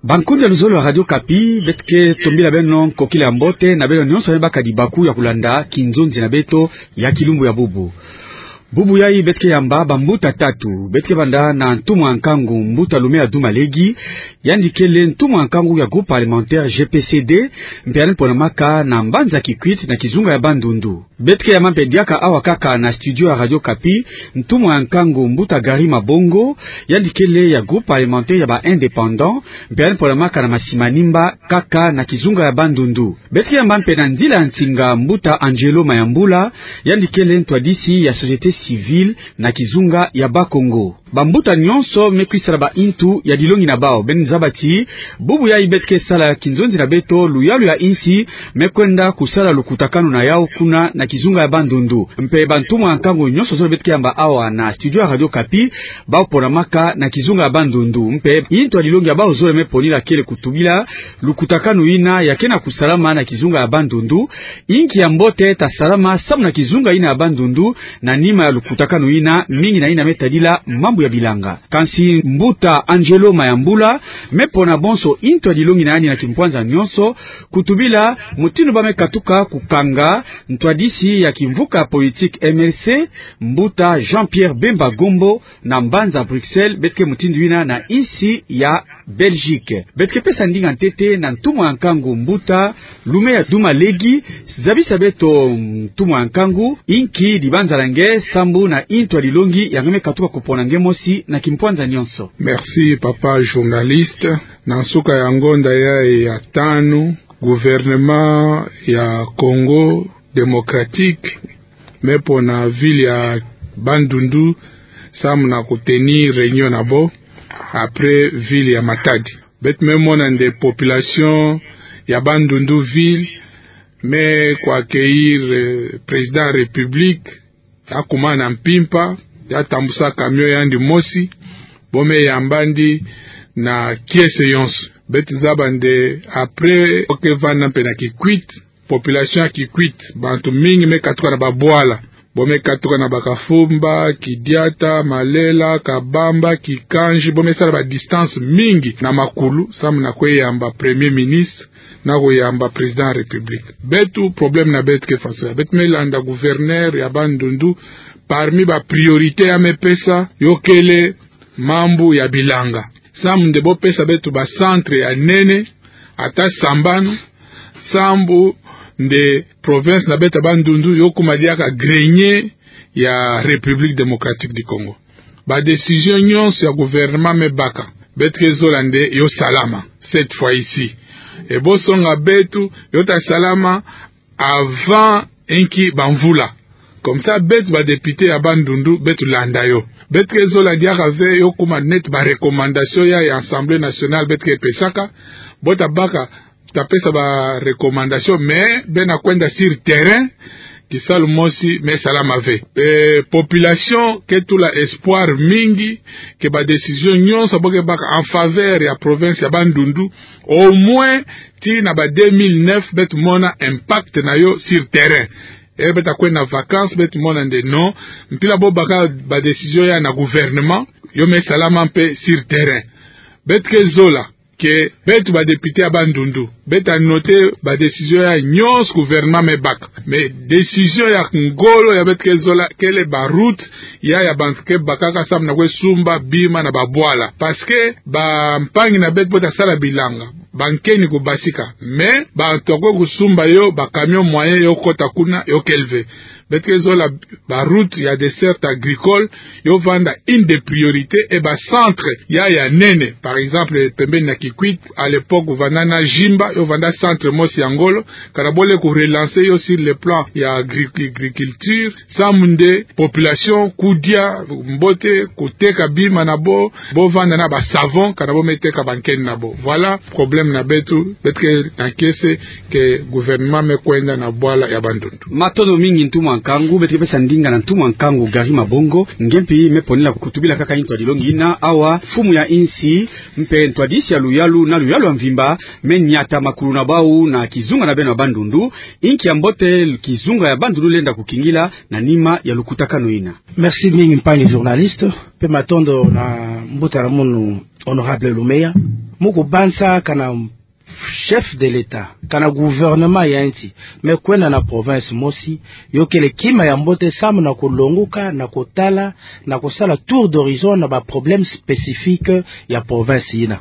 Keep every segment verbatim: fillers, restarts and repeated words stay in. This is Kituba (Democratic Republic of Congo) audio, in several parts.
Bankundi ya luzolo ya Radio Okapi, beto ke tombila beno nkokila ya mbote na beno nyonso me baka dibaku ya kulanda kinzonzi na beto ya kilumbu ya bubu. Bubu yayi beto ke yamba bambuta tatu. Beto ke banda na ntumwa ya nkangu mbuta Loumeya Douma Legui, yandi kele ntumwa ya nkangu ya groupe parlementaire G P C D, mpe yandi ponamaka na mbanza Kikwit na kizunga ya Bandundu. Beto ke yamba mpe diaka awa kaka na studio ya Radio Okapi ntumwa ya nkangu mbuta Gary Mabongo, yandi kele ya groupe parlementaire ya ba indépendants, mpe yandi ponamaka na Masimanimba kaka na kizunga ya Bandundu. Beto ke yamba mpe na nzila ya nsinga mbuta Angelo Mayambula, yandi kele ntwadisi ya société civile na kizunga ya Bakongo. Bambuta nyonso me kwisala ba intu ya dilongi na bawu. Beno zaba ti bubu yayi beto ke sala kinzonzi na beto, luyalu ya insi me kwenda kusala lukutakanu na yawu kuna na kizunga ya Bandundu. Mpe bantumwa ya nkangu nyonso zole beto ke yamba awa na studio ya Radio Okapi, bawu ponamaka na kizunga ya Bandundu. Mpe intu ya dilongi ya bawu zole me ponila kele kutubila lukutakanu yina ya ke na kusalama na kizunga ya Bandundu. Inki ya mbote ta salama samu na kizunga yina ya Bandundu na nima ya lukutakanu yina, mingi na yina me tadila mambu ya bilanga. Kansi mbuta Angelo Mayambula me pona bonso intu ya dilongi na yandi na kimpwanza nyonso, kutubila mutindu ba me katuka kukanga ntwadisi ya kimvuka politique M L C, mbuta Jean-Pierre Bemba Gombo, na mbanza Bruxelles, beto ke mutindu yina na insi ya Belgique. Beto ke pesa ndinga ntete na ntumwa ya nkangu mbuta Loumeya Douma Legui. Zabisa beto, ntumwa ya nkangu, inki dibanzala nge sambu na intu ya dilongi ya nge me katuka kupona nge mosi na kimpwanza nyonso. Merci, papa journaliste. Na nsuka ya ngonda yayi ya tanu, gouvernement ya Congo Démocratique me pona ville ya Bandundu samu na kutenir réunion na bo après ville ya Matadi. Beto me mona nde population ya Bandundu ville me ku accueillir, eh, président ya République, ya kuma na mpimpa, ya tambusa camion ya yandi mosi, bo me yamba yandi na kiese yonso. Beto zaba nde après bo ke vanda mpe na Kikwit, population ya Kikwit, bantu mingi me katuka na babwala. Bo me katuka na Bakafumba, Kidiata, Malela, Kabamba, Kikanji, bo me sala ba distance mingi na makulu, samu na kwe yamba premier ministre, na kwe yamba président ya République. Beto, problème na beto ke faso yayi. Beto me landa gouverneur ya Bandundu, parmi ba priorité ya me pesa, yo kele mambu ya bilanga. Samu nde bo pesa beto ba centre ya nene, ata sambanu, sambu nde province na beto ya Bandundu yo kuma diaka grenier ya République Démocratique du Congo. Ba décision nyonso ya gouvernement me baka, beto ke zola nde yo salama cette fois ici. E bo songa beto, yo ta salama avant inki bamvula. Comme ça, beto ba député ya Bandundu, beto landa yo. Beto ke zola diaka ve yo kuma neti ba recommandation ya, ya Assemblée nationale beto ke pesaka. Bo ta baka, ta pesa ba recommandation, mais beno kwenda sur terrain, kisalu mosi me salama ve. Eh, population ke tula espoir mingi que ba décision nyonso bo ke baka en faveur ya province ya Bandundu, au moins tii na ba deux mille neuf, beto mona impact na yo sur terrain. E beto ta kwenda vacances, beto mona nde non, mpila bo baka ba décision ya na gouvernement, yo me salama mpe sur terrain. Beto ke zola que beto ba député ya Bandundu, beto ta noter ba décision ya nyonso gouvernement me baka. Mais décision ya ngolo ya beto ke zola kele ba route ya, ya bantu ke bakaka samu na kwe sumba bima na babwala. Parce que bampangi na beto bo ta sala bilanga, ba nkeni kubasika. Mais bantu ya kwe kusumba yo, ba camion moyen yo kota kuna, yo kele ve. Beto ke zola ba route ya desserte agricole, yo vanda une des priorités, et ba centre ya, ya nene. Par exemple, pembeni na Kikwit, à l'époque, vanda na Jimba, yo vanda centre mosi ya ngolo, kana bo lenda ku relancer yo sur le plan ya agri-, agriculture, samu nde population kudia mbote, kuteka bima na bo, bo vanda na ba savon, kana bo me teka ba nkeni na bo. Voilà problème na beto, beto ke na kiese que gouvernement me kwenda na bwala ya Bandundu. Matondo mingi ntumwa nkangu, beto ke pesa ndinga na ntumwa nkangu Gary Mabongo, nge mpi me ponila kutubila kaka intu ya dilongi ina, awa mfumu ya insi, mpe ntwadisi ya luyalu na luyalu ya mvimba, me nyata makulu na bau na kizunga na beno ya Bandundu. Inki ya mbote kizunga ya Bandundu lenda kukingila na nima ya lukutakanu yina? Merci mingi, mpangi journaliste, mpe matondo na mbuta na munu, honorable Lumeya. Mu kubanza kana chef de l'État, kana gouvernement ya nsi me kwenda na province mosi, yo kele kima ya mbote samu na kulonguka, na kutala, na kusala tour d'horizon na ba problèmes spécifiques ya province yina.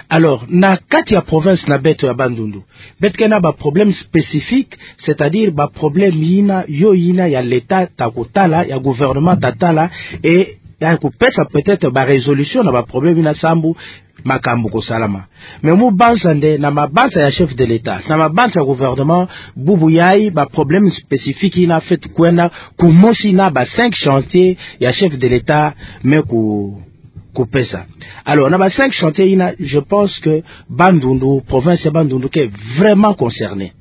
Alors, na kati ya province na beto ya Bandundu, beto ke na ba problèmes spécifiques, c'est-à-dire ba problèmes yina, yo yina ya l'État ta kutala, ya gouvernement ta tala, et ya kupesa peut-être ba résolutions na ba problèmes yina sambu makambu kusalama. Mais mu banza nde na mabanza ya chef de l'État, na mabanza ya gouvernement, bubu yayi ba problèmes spécifiques yina fweti kwenda kumosi na ba cinq chantiers ya chef de l'État me ku-, kupesa. Alors, na ba cinq chantiers yina, je pense que Bandundu, province ya Bandundu ke vraiment concernée.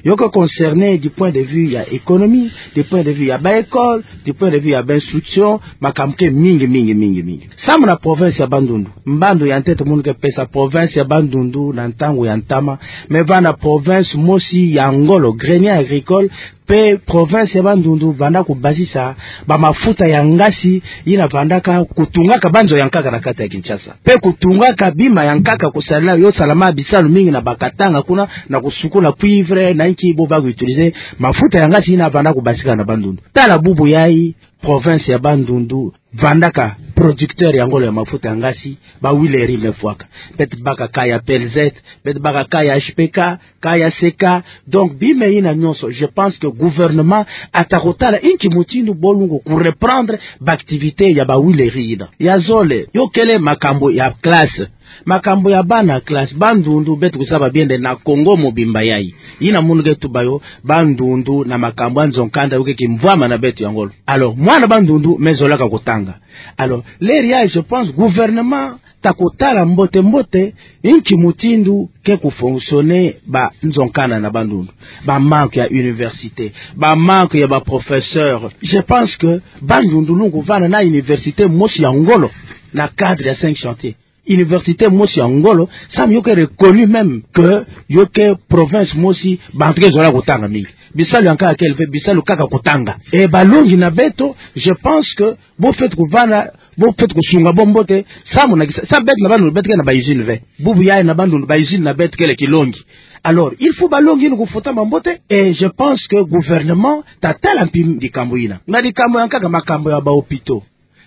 Yo ke concernée du point de vue ya économie, du point de vue ya ba école, du point de vue ya ba instruction, makambu ke mingi, mingi, mingi, mingi. Samu na province ya Bandundu, mbandu ya ntete munu ke pesa, province ya Bandundu na ntangu ya ntama me vanda province mosi ya ngolo, grenier agricole, mpe province ya Bandundu vanda kubasisa ba mafuta ya ngasi yina vandaka kutungaka ba nzo ya nkaka na kati ya Kinshasa, mpe kutungaka bima ya nkaka kusalila yo salama bisalu mingi na ba Katanga kuna, na kusukula cuivre na inki, bo ba ku utiliser mafuta ya ngasi yina vanda kubasika na Bandundu. Tala bubu yayi, province ya Bandundu vandaka producteur ya ngolo ya mafuta ya ngasi, ba huileries me fwaka. Beto baka cas ya P L Z, beto baka cas ya H P K, cas ya C K. Donc, bima yina nyonso, je pense que gouvernement ata kutala inki mutindu bo lungu kureprendre ba activités ya ba huileries yina. Ya zole, yo kele makambu ya classe. Makambu ya bana classe, Bandundu, beto kuzaba bien nde na Congo mobimba yayi, yina munu ke tuba yo, Bandundu na makambu ya nzo nkanda yo ke kimvwama na beto ya ngolo. Alors, mwana Bandundu me zolaka kutanga. Alors, leri yayi, je pense, gouvernement ta kutala mbote mbote inki mutindu ke kufonctionner ba nzo nkanda na Bandundu. Ba manque ya université, ba manque ya ba professeurs. Je pense que Bandundu lungu vanda na université mosi ya ngolo na cadre ya cinq chantiers. Université mosi ya ngolo, samu yo ke reconnu même que yo ke province mosi bantu ke zola kutanga mingi. Bisalu ya nkaka kele ve, bisalu kaka kutanga. Et balongi na beto, je pense que bo fweti kuvanda, bo fweti kusunga bo mbote, samu na kisa, samu beto na Bandundu beto ke na ba usines ve. Bubu yayi na Bandundu ba usines na beto kele kilongi. Alors, il faut balongi yina kufutama mbote, et je pense que gouvernement ta tala mpi likambu yina. Na likambu ya nkaka, makambu ya ba hôpitaux.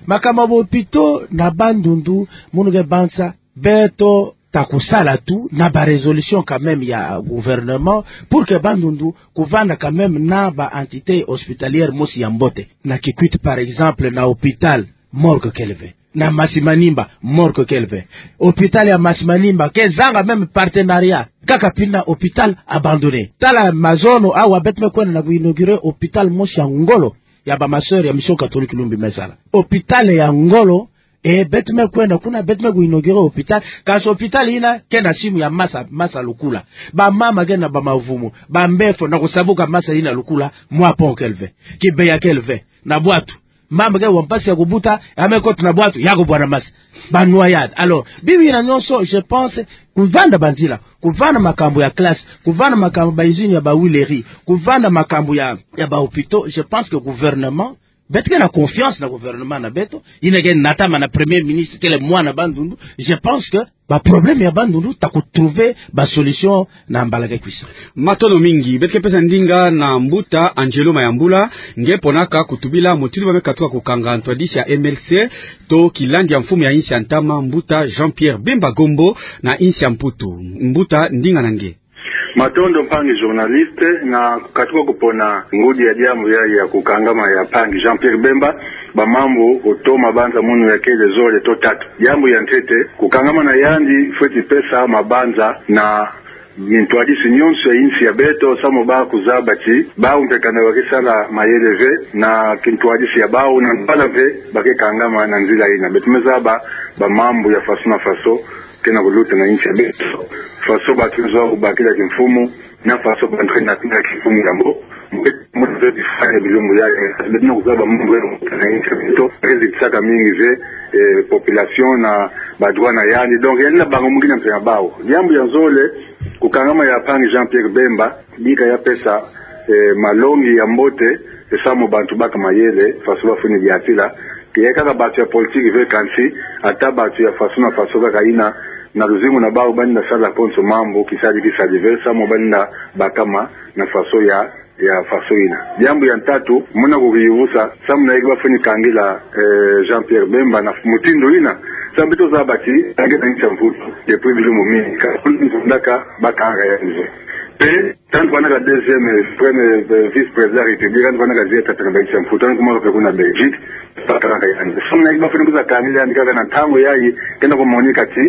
Makambu ya ba hôpitaux na Bandundu, munu ke banza, beto ta kusala tout na ba résolutions quand même ya gouvernement pour que Bandundu kuvanda quand même na ba entités hospitalières mosi ya mbote. Na Kikwit, par exemple, na hôpital, morgue kele ve. Na Masimanimba, morgue kele ve. Hôpital ya Masimanimba kezanga même partenariat, kaka pina hôpital abandonné. Tala mazono awa beto me kwenda na ku inaugurer hôpital mosi ya ngolo ya ba ma sœurs ya Mission Catholique Lumbi me sala. Hôpital ya ngolo, e beto me kwenda kuna, beto me ku inaugurer hôpital. Kansi hôpital yina ke na simu ya masa, masa lukula. Ba mama ke na ba mavumu, ba mbefo, na kusabuka masa yina lukula, mwa pont kele ve, kibeya kele ve. Na bwatu, mama ke wa mpasi ya kubuta, ya me kota na bwatu, ya kubwa na masa. Ba noyade. Alors, bima yina nyonso, je pense, kuvanda banzila, kuvanda makambu ya classe, kuvanda makambu ba usines ya ba huileries, kuvanda makambu ya, ya ba hôpitaux, je pense que gouvernement, beto ke na confiance na gouvernement na beto, yina ke natama na Premier Ministre kele mwana Bandundu, je pense que ba problèmes ya Bandundu ta kutrouver ba solutions na mbala ke kwisa. Matondo mingi. Beto ke pesa ndinga na mbuta Angelo Mayambula, nge ponaka kutubila mutindu ba me katuka kukanga ntwadisi ya M L C, to kilandi ya mfumu ya insi ya ntama, mbuta Jean-Pierre Bemba Gombo, na insi ya Mputu. Mbuta, ndinga na nge. Matondo mpangi journaliste, na kukatuka kupona ngudi ya diambu ya, ya kukangama ya mpangi Jean-Pierre Bemba, ba mambu oto mabanza munu ya kele zole to tatu. Diambu ya ntete, kukangama na yandi fweti pesa mabanza na mintwadisi nyonso ya insi ya beto, samu ba kuzaba ti bau mpe kana ba ke sala mayele ve na kintwadisi ya bau, na ntwala ve ba ke kangama na nzila yina. Beto me zaba ba mambu ya faso na faso ke na kuluta na insi ya beto, faso bantu me zwa kubakila kimfumu, na faso bantu ke na kina kimfumu ya mbo. Mpe muna ve bifwani ya bilumbu ya, eh, beto na kuzaba mambu ya na insi ya beto, ke zitisaka mingi ve, eh, population na ba droit na yandi. Donc, yandi na banga mungina mpe ya bau. Diambu ya nzole, Kukangama ya mpangi Jean-Pierre Bemba, bika ya pesa, eh, malongi ya mbote, eh, samu bantu baka mayele, faso bafweni diatila, ke ya kaka bantu ya politiki ve kansi, ata bantu ya faso na faso kaka ina, na luzingu na bawu bani na sala konso mambu, kisadi kisadi ve, samu bani na bakama, na faso ya, ya faso ina. Diambu ya ntatu, muna kukiyuvusa, samu na yeki bafweni kangila, eh, Jean-Pierre Bemba na mutindu ina, samu beto zaba ti, kangila ncha mputu, depuis bilumbu mingi, ka, ndaka, bakanga ya nze. Pe, tantu kwanaka deuxième, premier, euh, vice-président de la République, tantu kwanaka zieta tena ba ncha mputu, tantu kumaka pe kuna Belgique, bakanga ya nze. Samu na yeki bafweni kwiza kangila ya nze kaka na ntangu yayi, kena kumonika ti,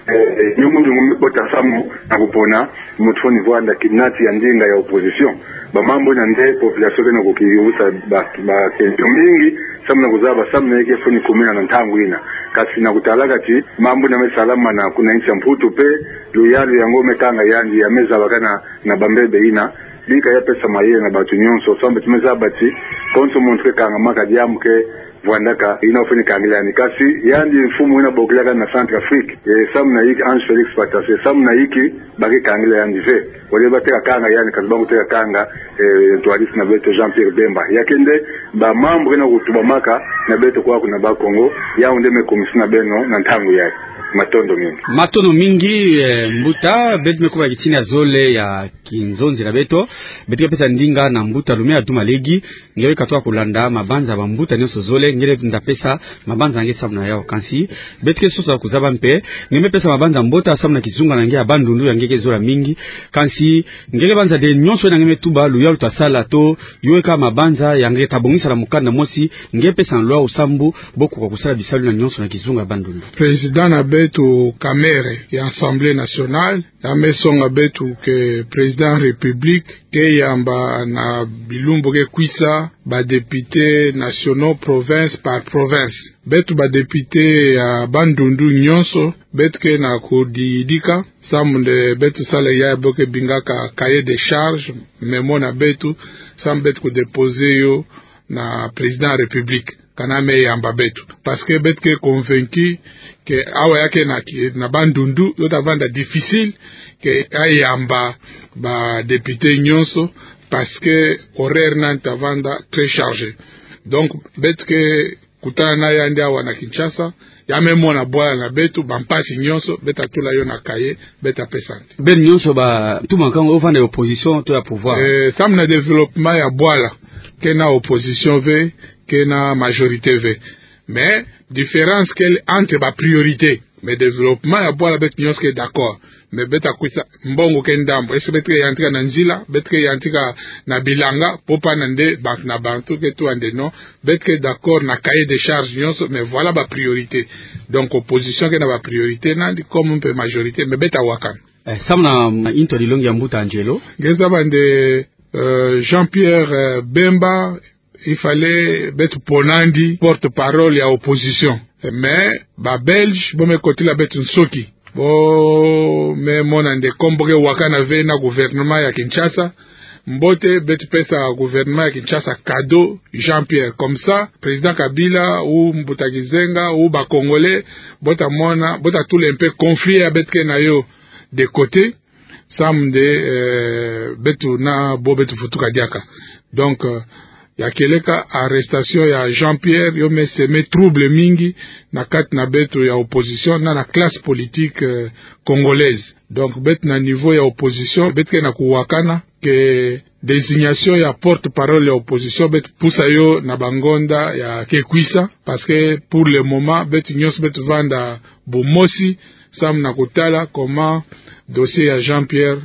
eh, eh, nyungu nyungu mekota samu, na kupona, muntu fweni vwanda kinati ya ndinga ya opposition. Ba mambu ina nde population kena kukiyuvusa ba, ba question mingi, samu na kuzaba, samu na yeki fweni kumina na ntangu ina. Kasi na kutalaka ti, mambu ina mesalamana kuna ncha mputu pe, luyalu yango mekanga yandi ya mezabakana na bambebe ina, bika ya pesa mayele na bantu nyonso, samu ti mezaba ti, konso muntu ke kangamaka diambu ke, vwandaka, ina ofweni kangila yandi. Kasi, yandi mfumu ina bokilaka na Centrafrique, eh, samu na yeki Ange Félix Patasse, samu na yeki, bake kangila yandi ve. Wale bateka kanga yandi, kasi bangu teka kanga, eh, ntwadisi na beto Jean-Pierre Bemba. Ya kende, ba mambu kena kutubamaka, na beto kwaku na Bas-Congo, yawu nde mekumisi na beno, na ntangu yayi. Matondo mingi. Matondo mingi, eh, mbuta, beto mekubaki tina zole ya kinzonzi na beto, beto ke pesa ndinga na mbuta Lumia Dumalegi, nge weka twa kulanda mabanza ya bambuta nyonso zole, nge nda pesa mabanza nge samu na yawu. Kansi, beto ke sosa kuzaba mpe, nge mepesa mabanza mbote samu na kizunga na nge ya Bandundu ya nge ke zola mingi. Kansi, nge ke banza nde nyonso na nge metuba, luyalu twasala to, yo weka mabanza ya nge tabongisa na mukanda mosi, nge pesa na lwawu samu, bokoka kusala bisalu na nyonso na kizunga ya Bandundu. Président na beto Kamerhe ya Assemblée nationale, ya mesonga beto ke président République, ke yamba na bilumbu ke kwisa, ba députés nationaux province par province. Beto ba députés ya Bandundu nyonso, beto ke na kudidika, samu nde beto sala yayi bo ke bingaka cahier de charge, mémo na beto, samu beto kudéposer yo na président République. Kana me yamba beto. Parce que beto ke convaincu que awa ya ke na ki-, na Bandundu, yo ta vanda difficile que ayamba ba députés nyonso, parce que horaire nani ta vanda très chargé. Donc, beto ke kutana na yandi awa na Kinshasa, ya me mona bwala na beto, bampasi nyonso, beto ta tula yo na cahier, beto ta pesa nde. Beno nyonso ba, tuma nkangu, yo vanda ya opposition to ya pouvoir. Eh, samu na développement ya bwala, ke na opposition ve, ke na majorité ve. Mais, différence kele entre ba priorité. Mais développement ya bwala beto nyonso ke d'accord. Mais beto ta kwisa mbongo ke ndambu. Est-ce que beto ke yantika na nzila, beto ke yantika na bilanga, po pana nde bantu na bantu ke tula nde non. Beto ke d'accord na cahier de charge nyonso, mais voilà ba priorité. Donc opposition ke na ba priorité nandi, comme mpe majorité, mais beto ta wakana. Eh, samu na, mm, into dilongi ya mbuta Angelo. Nge zaba nde, euh, Jean-Pierre, euh, Bemba, il fallait beto pona nandi porte-parole ya opposition. Mais, ba Belges, bo me kotila beto nsoki. Bo me mona nde comme bo ke wakana ve na gouvernement ya Kinshasa, mbote beto pesa gouvernement ya Kinshasa cadeau Jean-Pierre. Comme ça, président Kabila, ou Mbuta Gizenga, ou ba Congolais, bo ta mona, bo ta tula un peu conflit ya beto ke na yo de côté, samu nde, eh, beto na bo beto vutuka diaka. Donc, euh, ya kieleka arrestation ya Jean-Pierre, yo me semer trouble mingi na kati na beto ya opposition, na, na classe politique, euh, congolaise. Donc, beto na niveau ya opposition, beto ke na kuwakana que désignation ya porte-parole ya opposition, beto pusa yo na ba ngonda ya ke kwisa, parce que pour le moment, beto nyonso beto vanda bumosi, samu na kutala comment dossier ya Jean-Pierre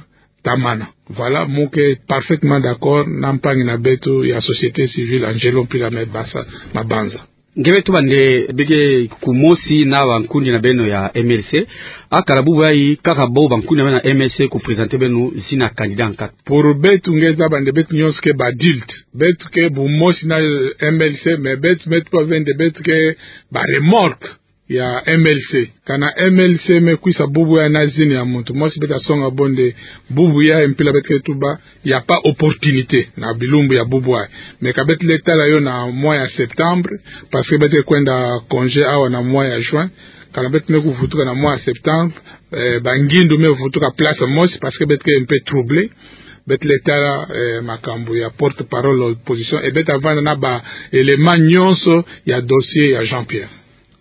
ta mana. Voilà, mu ke parfaitement d'accord na mpangi na beto ya société civile Angelo Mpila me basa mabanza. Nge me tuba nde bo ke kumosi na bankundi na beno ya M L C. Akala bubu yayi kaka bo bankundi na beno ya M L C ku présenter beno zina candidat nkatu. Pour beto nge zaba nde beto nyonso ke ba adultes. Beto ke bumosi na M L C, mais beto me tuba ve nde beto ke ba remorques ya M L C. Kana M L C me kwisa bubu yayi na zina ya muntu mosi, beto ta songa bo nde bubu yayi mpila beto ke tuba, y a pas opportunité na bilumbu ya bubu yayi. Mais ka beto le tala yo na mois ya septembre, parce que beto ke kwenda congé awa na mois ya juin. Kana beto me kuvutuka na mwa septembre, eh, bangindu me vutuka place mosi, parce que beto ke un peu troublé. Beto lenda tala, eh, makambu ya porte-parole opposition, et beto vanda na ba éléments nyonso ya dossier ya Jean-Pierre.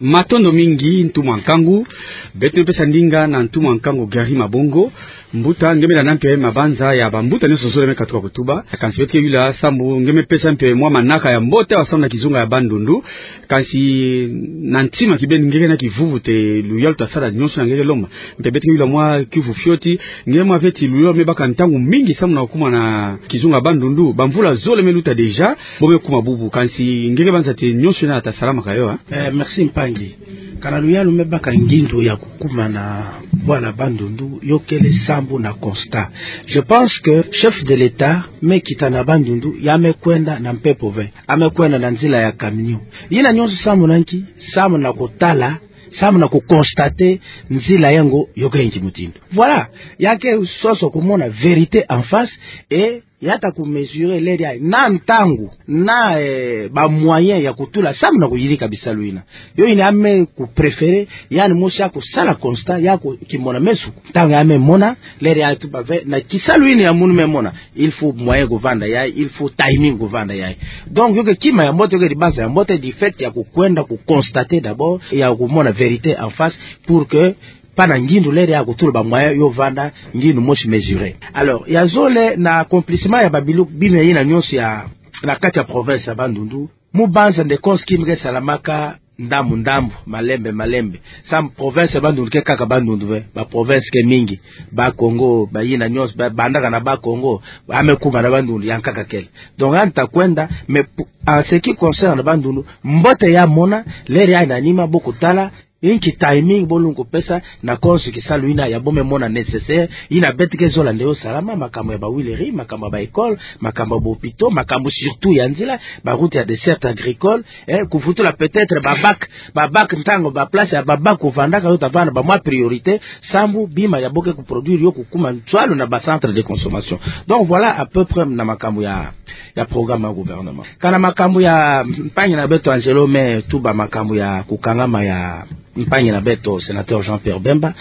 Matondo mingi, ntumwa nkangu. Beto me pesa ndinga na ntumwa nkangu Gary Mabongo. Mbuta, nge me landa mpe mabanza ya bambuta nyonso zole me katuka kutuba. Kansi beto ke yula sambu nge me pesa mpe mwa manaka ya mbote wa sambu na kizunga ya Bandundu. Kansi na ntima kibeni nge ke na kivuvu ti luyalu ta sala nyonso na nge ke lomba. Mpe beto ke yula mwa kiuvu fioti, nge mwa ve ti luyalu me baka ntangu mingi sambu na kuma na kizunga ya Bandundu. Bamvula zole me luta déjà, bo me kuma bubu. Kansi nge ke banza ti nyonso yina ta salamaka yo, hein? Eh, merci mpangi. Kana luyalu me baka ngindu ya kukuma na bwala Bandundu, yo kele sambu na constat. Je pense que chef de l'État me kita na Bandundu, ya me kwenda na mpepo ve, ya me kwenda na nzila ya camion. Yina nyonso sambu na nki? Sambu na kutala, sambu na kuconstater nzila yango yo ke nki mutindu. Voilà, ya ke sosa kumona vérité en face, et ya ta kumesurer leri yayi na ntangu, na, eh, bamoyens ya kutula sambu na kuyirika bisalu yina. Yo yina ya me kupréférer, yandi mosi ya kusala constat, ya ku-, kimona meso. Ntangu ya me mona leri yayi tuba ve, na kisalu yina ya munu me mona, il faut moyen kuvanda yayi, il faut timing kuvanda yayi. Donc, yo ke kima ya mbote, yo ke dibanza ya mbote, du fait ya kukwenda kuconstater d'abord, ya kumona vérité en face, pour que pana ngindu leri ya kutula bamoyens yo vanda ngindu mosi mesuré. Alors, ya zole na accomplissement ya babilu bima yina nyonso ya na kati ya province ya Bandundu, mu banza nde konso kima ke salamaka ndambu ndambu, malembe malembe. Sambu province ya Bandundu ke kaka Bandundu ve, baprovince ke mingi, Bas-Congo, bayina nyonso, ba-, bandaka na Bas-Congo, ya me kuma na Bandundu, yankaka kele. Donc, yandi ta kwenda, mais pou-, en ce qui concerne Bandundu, mbote ya mona, leri yayi na nima bo kutala inki timing bo lenda kupesa na konso kisalu yina ya bo me mona nécessaire, yina beto ke zola nde yo salama, makambu ya ba huileries, makambu ya ba écoles, makambu ya ba hôpitaux, makambu surtout ya nzila, ba routes ya desserte agricole, eh, kuvutula peut-être ba bac, ba bac ntangu ba place ya ba bac kuvandaka yo ta vanda ba mwa priorité, sambu bima ya bo ke kuproduire yo kukuma nswalu na ba centres de consommation. Donc voilà à peu près na makambu ya, ya programme ya gouvernement. Kana makambu ya mpangi na beto Angelo me tuba makambu ya kukangama ya mpangi na beto sénateur Jean-Pierre Bemba,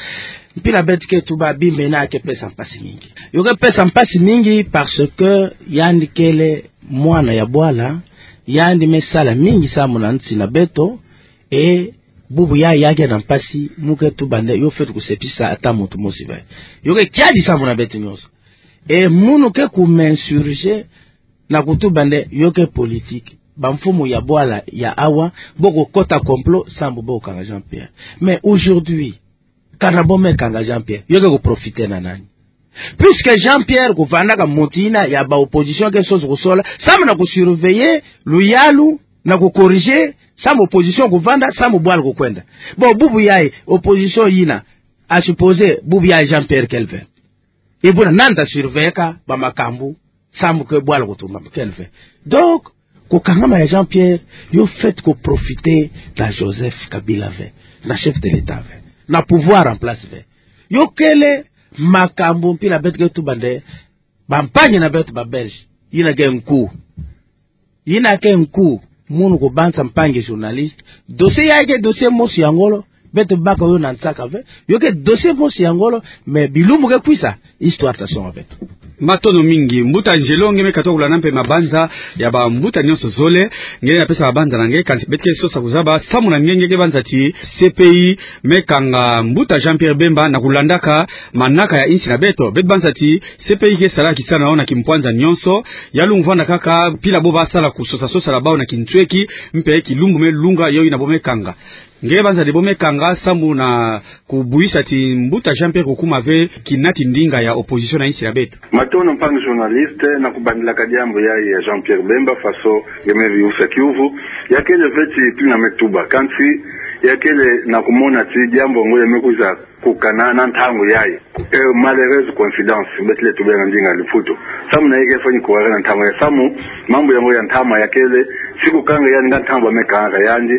mpila beto ke tuba bima yina ke pesa mpasi mingi. Yo ke pesa mpasi mingi parce que yandi kele mwana ya bwala, yandi me sala mingi sambu na nsi na beto, et bubu yayi ya ke na mpasi, mu ke tuba nde yo fweti kusepisa ata muntu mosi ve. Yo ke kiadi sambu na beto nyonso. Et munu ke ku m'insurger na kutuba nde yo ke politique. Bamfumu ya bwala ya awa, bo kukota complot sambu bo kanga Jean-Pierre. Mais aujourd'hui, kana bo me kanga Jean-Pierre, yo ke kuprofiter na nani? Puisque Jean-Pierre kuvandaka muntu yina ya ba opposition ke sosa kusola, sambu na kusurveiller luyalu, na kucorriger sambu opposition kuvanda, sambu bwala kukwenda. Bon, bubu yayi, opposition yina, à supposer, bubu yayi Jean-Pierre kele ve, et buna nani ta surveiller-ka ba makambu, sambu ke bwala kutumba kele ve. Donc, kukangama ya Jean-Pierre, yo fweti kuprofiter na Joseph Kabila ve, na chef de l'État ve, na pouvoir en place ve. Yo kele makambu mpila beto ke tuba nde, bampangi na beto ba Belge, yina ke nku. Yina ke nku, munu kubanza mpangi journaliste. Dossier yayi ke dossier mosi ya ngolo, beto baka yo na nsaka ve. Yo ke dossier mosi ya ngolo, mais bilumbu ke kwisa, histoire ta songa beto. Matondo mingi. Mbuta Angelo, nge me katuka kulanda mpe mabanza ya bambuta nyonso zole. Nge na pesa mabanza na nge, kansi beto ke sosa kuzaba, samu na nge, nge ke banza ti C P I me kanga mbuta Jean-Pierre Bemba na kulandaka manaka ya insi na beto. Beto banza ti C P I ke sala kisala na yo na kimpwanza nyonso. Ya lenda vwanda kaka mpila bo ba sala kusosa sosa la bawu na kintweki, mpe kilumbu me lunga yo yina bo me kanga. Nge banza nde bo me kanga samu na kubwisa ti mbuta Jean-Pierre kukuma ve kinati ndinga ya opposition na insi ya beto. Matondo mpangi journaliste, na kubandilaka diambu yayi ya Jean-Pierre Bemba, faso nge me viusa kiuvu. Ya kele ve ti tina me tuba, kansi ya kele na kumona ti diambu yango ya me kwiza kukana na ntangu yayi. Eh, malheureuse coïncidence, beto lenda tuba na ndinga ya Liputu. Samu na yandi ke fani kuwara na ntangu yayi. Samu mambu yango ya ntama ya kele, si kukanga yandi nga ntangu ba me kangaka yandi.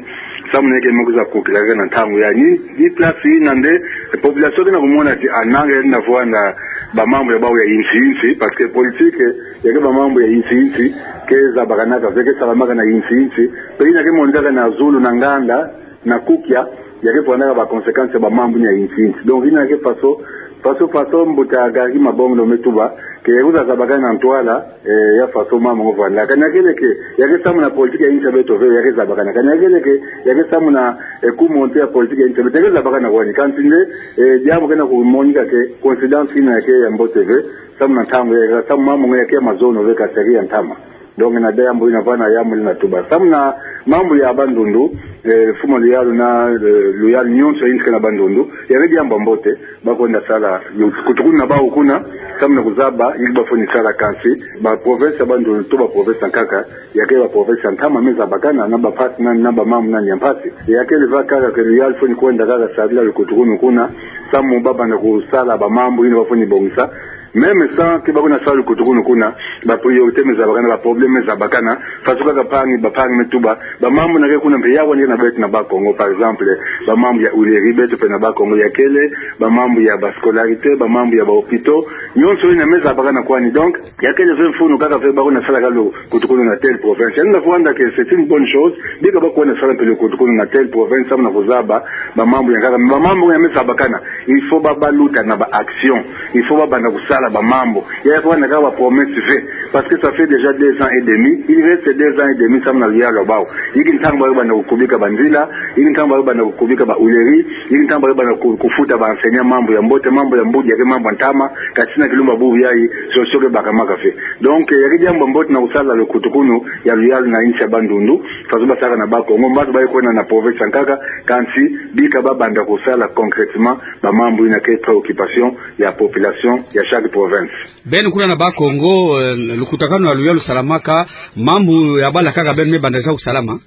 Samu na yandi ke me kwiza kukila kaka na ntangu yayi. Ni, ni place yina nde, eh, population ke na kumona ti ananga yandi na vwanda ba mambu ya bawu ya insi insi, parce que politique, ya ke ba mambu ya insi insi, ke zabakanaka ve, ke salamaka na insi insi. Mpe yina ke monikaka na zulu, na nganda, na kukia, Ya ke fwanaka ba conséquences ya ba mambu ni ya inti inti. Donc, ina ke faso, faso, faso mbuta Garry Mabonglo me tuba, ke ya kuzazabakana na ntwala, eh, ya faso mambu ngo fwanaka. Kani ya kele ke, ya ke samu na politique ya inti ya beto ve, ya ke zabakana. Kani ya kele ke, ya ke samu na, eh, kumonte ya politique ya inti ya beto, ya ke zabakana kwani. Kansi nde, eh, diambu kena kumonika ke, coïncidence ina ya ke ya mbote ve, samu na ntangu ya, samu mambu ngo ya ke ya mazono ve, kansi ya ke ya ntama. Donc, na diambu ina vana ya muli na tuba. Samu na mambu ya Bandundu, eh, mfumu a luyalu na, eh, luyalu nyonso ya inti kena Bandundu, ya ke diambu ya mbote, ba kwenda sala, lukutukunu na bawu kuna, samu na kuzaba, yinki ba fweni sala kansi, ba province ya Bandundu, to ba province ankaka, ya ke ba province ya ntama me zabakana, na ba mpasi, na, na ba mambu nani ya mpasi. Ya kele va kaka ke luyalu fweni kwenda kaka sadila lukutukunu kuna, samu ba banda kusala ba mambu, yina ba fweni bongisa, Même sans que ba kwenda sala lukutukunu kuna, ba priorité me zabakana, ba problème me zabakana, faso kaka mpangi, ba mpangi me tuba, ba mambu na ke kuna mpe ya kwani na beto na Bas-Congo, par exemple, ba mambu ya huilerie beto mpe na Bas-Congo ya kele, ba mambu ya ba scolarité, ba mambu ya ba hôpitaux, nyonso ina me zabakana kwani. Donc, ya kele ve mfunu kaka ve ba kwenda sala ka lukutukunu na telle province. Yandi na fwanda ke c'est une bonne chose, bika ba kwenda sala mpe lukutukunu na telle province, samu na kuzaba, ba mambu ya kaka, ba mambu ya me zabakana. Il faut ba, ba luta na ba action. Il faut ba banda kusala ba mambu. Ya, ya fwanaka ba promesse ve. Parce que ça fait déjà deux ans et demi. Il reste deux ans et demi samu na luyalu ya bawu. Yinki ntangu ba banda kukubika ba nzila. Yinki ntangu ba banda kukubika ba huilerie. Yinki ntangu ba banda ku-, kufuta ba enseignants mambu ya mbote, mambu ya mbudi, ya ke mambu ya ntama. Kansi na kilumbu bubu yayi, solution ke bakamaka ve. Donc, eh, ya ke diambu ya mbote na kusala lukutukunu ya luyalu na inti ya Bandundu. Faso ba saka na Bas-Congo, mbazi ba kwenda na province ankaka, kansi bika ba banda kusala concrètement ba mambu ina ke préoccupation ya population ya chaque province. Beno kuna na Bas-Congo, eh, lukutakanu ya luyalu salamaka, mambu ya bala kaka beno me banda za kusalama?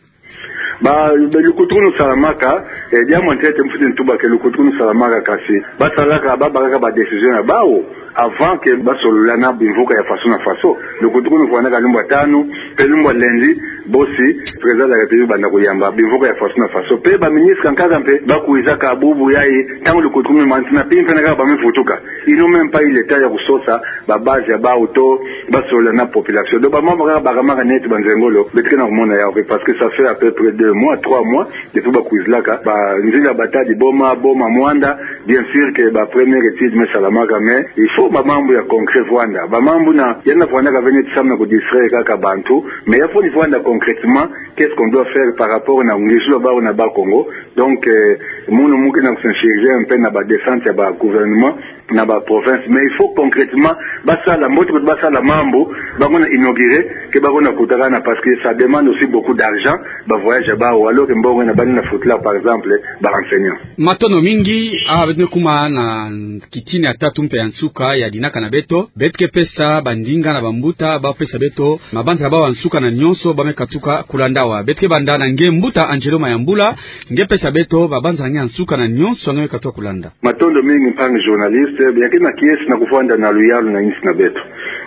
Ba, be lukutukunu salamaka, eh, diambu ntete mfweti ntuba ke lukutukunu salamaka kansi, ba salaka, ba bakaka ba décision ya bawu, avant que ba solola na bimvuka ya faso na faso. Lukutukunu fwanaka lumbu ya tanu, mpe lumbu ya lundi, bosi, président de la République banda kuyamba bimvuka ya faso na faso. Mpe ba ministre ankaka mpe, ba kwizaka bubu yayi, ntangu lukutukunu me manisa na mpimpa na kaka ba me vutuka. Ils n'ont même pas eu le temps ya kusosa ba base ya bawu to ba solola na population. Donc, ba mambu kaka bakamaka neti ba nzengolo, beto ke na kumona yawu ve, parce que ça fait à peu près deux mois, trois mois, depuis ba kwizilaka, ba nzila Matadi Boma, Boma Muanda, bien sûr que ba première étude me salamaka, mais il faut ba mambu ya concret vwanda. Ba mambu na, yandi na fwanaka ve neti samu na kudistraire kaka bantu, mais ya fweni vwanda concrètement, qu'est-ce qu'on doit faire par rapport na ngizulu ya bawu na Bas-Congo. Donc, eh, munu mu ke na kusensibiliser un peu na ba descente ya ba gouvernement, na ba province, mais il faut concrètement ba sala, mbote kuti ba sala mambu, ba kwenda inaugurer, ke ba kwenda kutakana, parce que ça demande aussi beaucoup d'argent, ba voyage ya bawu, alors que mbongo ina ba lenda futula, par exemple, ba enseignants. Matondo mingi, ah, beto me kuma na kitini ya tatu mpe ya nsuka ya dinaka na beto, beto ke pesa ba ndinga na ba mbuta, ba pesa beto mabanza ya bawu ya nsuka na nyonso ba me katuka kulanda awa. Beto ke banda na nge mbuta Angelo Mayambula, nge pesa beto mabanza na nge ya nsuka na nyonso nge me katuka kulanda. Matondo mingi mpangi journaliste, ya ke na kiese na kuvwanda na luyalu na insi na beto.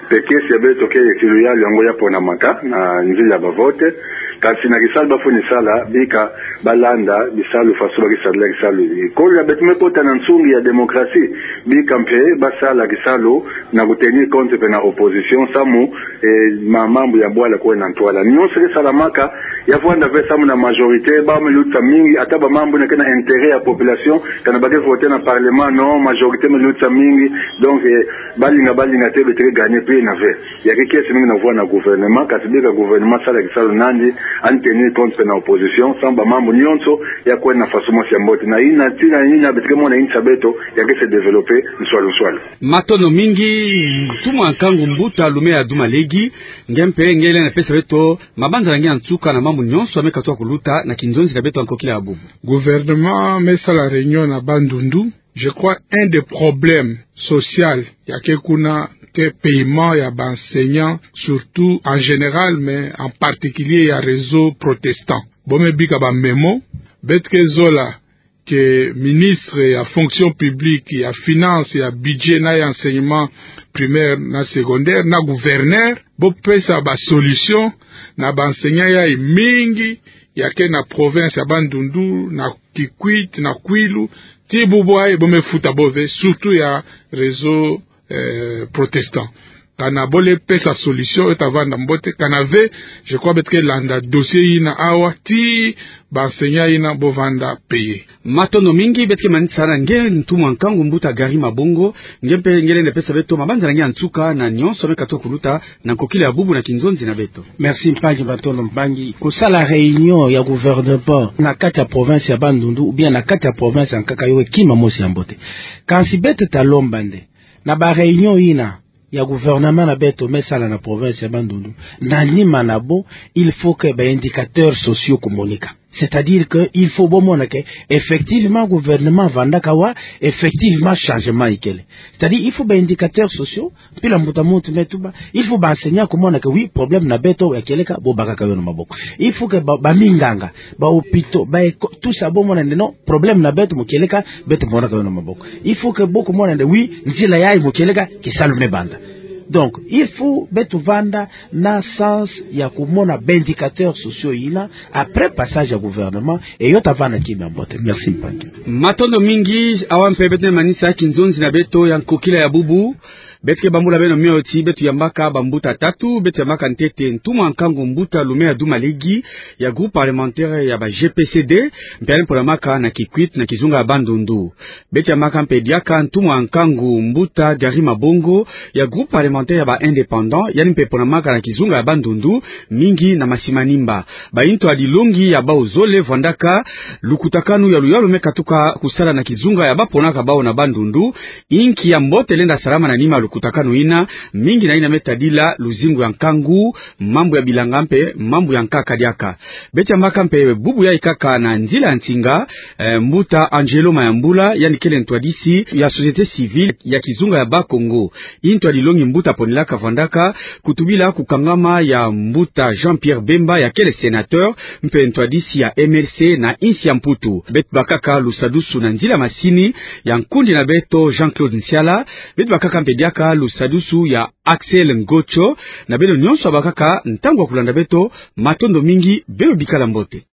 Mpe kiese ya beto ke ti luyalu yango ya ponamaka na nzila ya ba vote, kansi na kisalu ba fweni sala, bika ba landa bisalu faso ba ke sadila kisalu. Kolo ya beto me kota na nsungi ya démocratie, bika mpe ba sala kisalu na ku tenir compte mpe na opposition, samu eh, ma-, mambu ya bwala kwenda ntwala. Nyonso ke salamaka, ya vwanda ve samu na majorité, bawu me lutisa mingi, ata ba mambu na ke na intérêt ya population, kana ba ke voter na parlement, non, majorité me lutisa mingi, donc, eh, ba linga, ba linga te, beto ke gagner pe na ve. Ya ke kiese mingi na vwanda na gouvernement, kansi bika gouvernement sala kisalu nandi, en tenir compte mpe na opposition, samu ba mambu nyonso, ya kwenda na faso mosi ya mbote. Na ina, tina ina, beto ke mona insi ya beto, ya ke se développer, nswalu nswalu. Matondo mingi, ntumwa nkangu mbuta Lumea Dumalegi, nge mpe, nge lenda pesa beto mabanza na nge ya nsuka na mambu nyonso ya me katuka kuluta na kinzonzi na beto ya nkokila ya bubu. Gouvernement me sala réunion na Bandundu. Je crois un des problèmes social ya ke kuna ke paiement ya ba enseignants, surtout en général, mais en particulier ya réseau protestant. Bo me bika ba memo, beto ke zola ke ministre ya fonction publique, ya finance, ya budget na ya enseignement primaire na secondaire, na gouverneur, bo pesa ba solution na ba enseignants yayi mingi ya ke na province ya Bandundu, na Kikwit, na Kwilu, ti bubu yayi bo me futa bo ve, surtout ya réseau, eh, protestant. Kana bo lenda pesa solution, yo tavanda mbote. Kana ve, je crois beto ke landa dossier yina awa, tii ba enseignants yina bo vanda payer. Matondo mingi. Beto ke manisa na nge ntumwa nkangu mbuta Gary Mabongo, nge mpe nge lenda pesa beto mabanza na nge ya nsuka na nyonso me katuka kuluta na nkokila ya bubu na kinzonzi na beto. Merci mpangi, matondo mpangi. Kosala réunion ya gouvernement na kati ya province ya Bandundu, ou bien na kati ya province ya nkaka, yo kima mosi ya mbote. Kansi beto ta lomba nde, na ba réunion yina ya gouvernement na beto me sala na province ya Bandundu, na nima na bo, il faut que ba indicateurs sociaux kumonika. C'est-à-dire que il faut bo mona que effectivement gouvernement vandaka wa, effectivement changement ikele. C'est-à-dire il faut ba indicateurs sociaux, mpila mbuta muntu me tuba, il faut ba enseignants kumona que oui, problème na beto ya kieleka, bo bakaka yo na maboko. Il faut que ba, ba minganga, ba hôpitaux, ba éco-, tout ça, bo mona nde non, problème na beto mo kieleka, beto monaka yo na maboko. Il faut que bo kumona nde oui, nzila yayi mo kieleka, kisalu me banda. Donc il faut beto vanda na sens ya kumona ba indicateurs sociaux yina après passage ya gouvernement, et yo tavanda kima ya mbote. Merci mpangi. Matondo mingi. Awa mpe beto me manisa kinzonzi na beto ya nkokila ya bubu. Beto ke bambula beno mio ti beto yambaka bambuta tatu. Beto yambaka ntete ntumwa nkangu mbuta Lumea Dumalegi ya groupe parlementaire ya ba G P C D, mpe yandi mponamaka na Kikwit na kizunga ya Bandundu. Beto yambaka mpe diaka ntumwa nkangu mbuta Gary Mabongo ya groupe parlementaire ya ba Indépendants, yandi mpe mponamaka na kizunga ya Bandundu, mingi na Masimanimba. Bayi ntwadilongi ya bawu zole vandaka lukutakanu ya luyalu me katuka kusala na kizunga ya baponaka bawu na Bandundu. Inki ya mbote lenda salama na nima ya lukutakanu yina, mingi na yina me tadila luzingu ya nkangu, mambu ya bilanga mpe mambu ya nkaka diaka. Beto yambaka mpe bubu yayi kaka na nzila ya nsinga, eh, mbuta Angelo Mayambula, yandi kele ntwadisi ya société civile ya kizunga ya Bas-Congo. Yi ntwadilongi mbuta ponelaka vandaka kutubila kukangama ya mbuta Jean-Pierre Bemba ya kele sénateur mpe ntwadisi ya M L C na insi ya Mputu. Beto bakaka lusadusu na nzila masini ya nkundi na beto Jean-Claude Nsiala. Beto bakaka mpe diaka lusadusu ya Axel Ngocho. Na beno nyonso bakaka ntangu ya kulanda beto, matondo mingi, beno bikala mbote.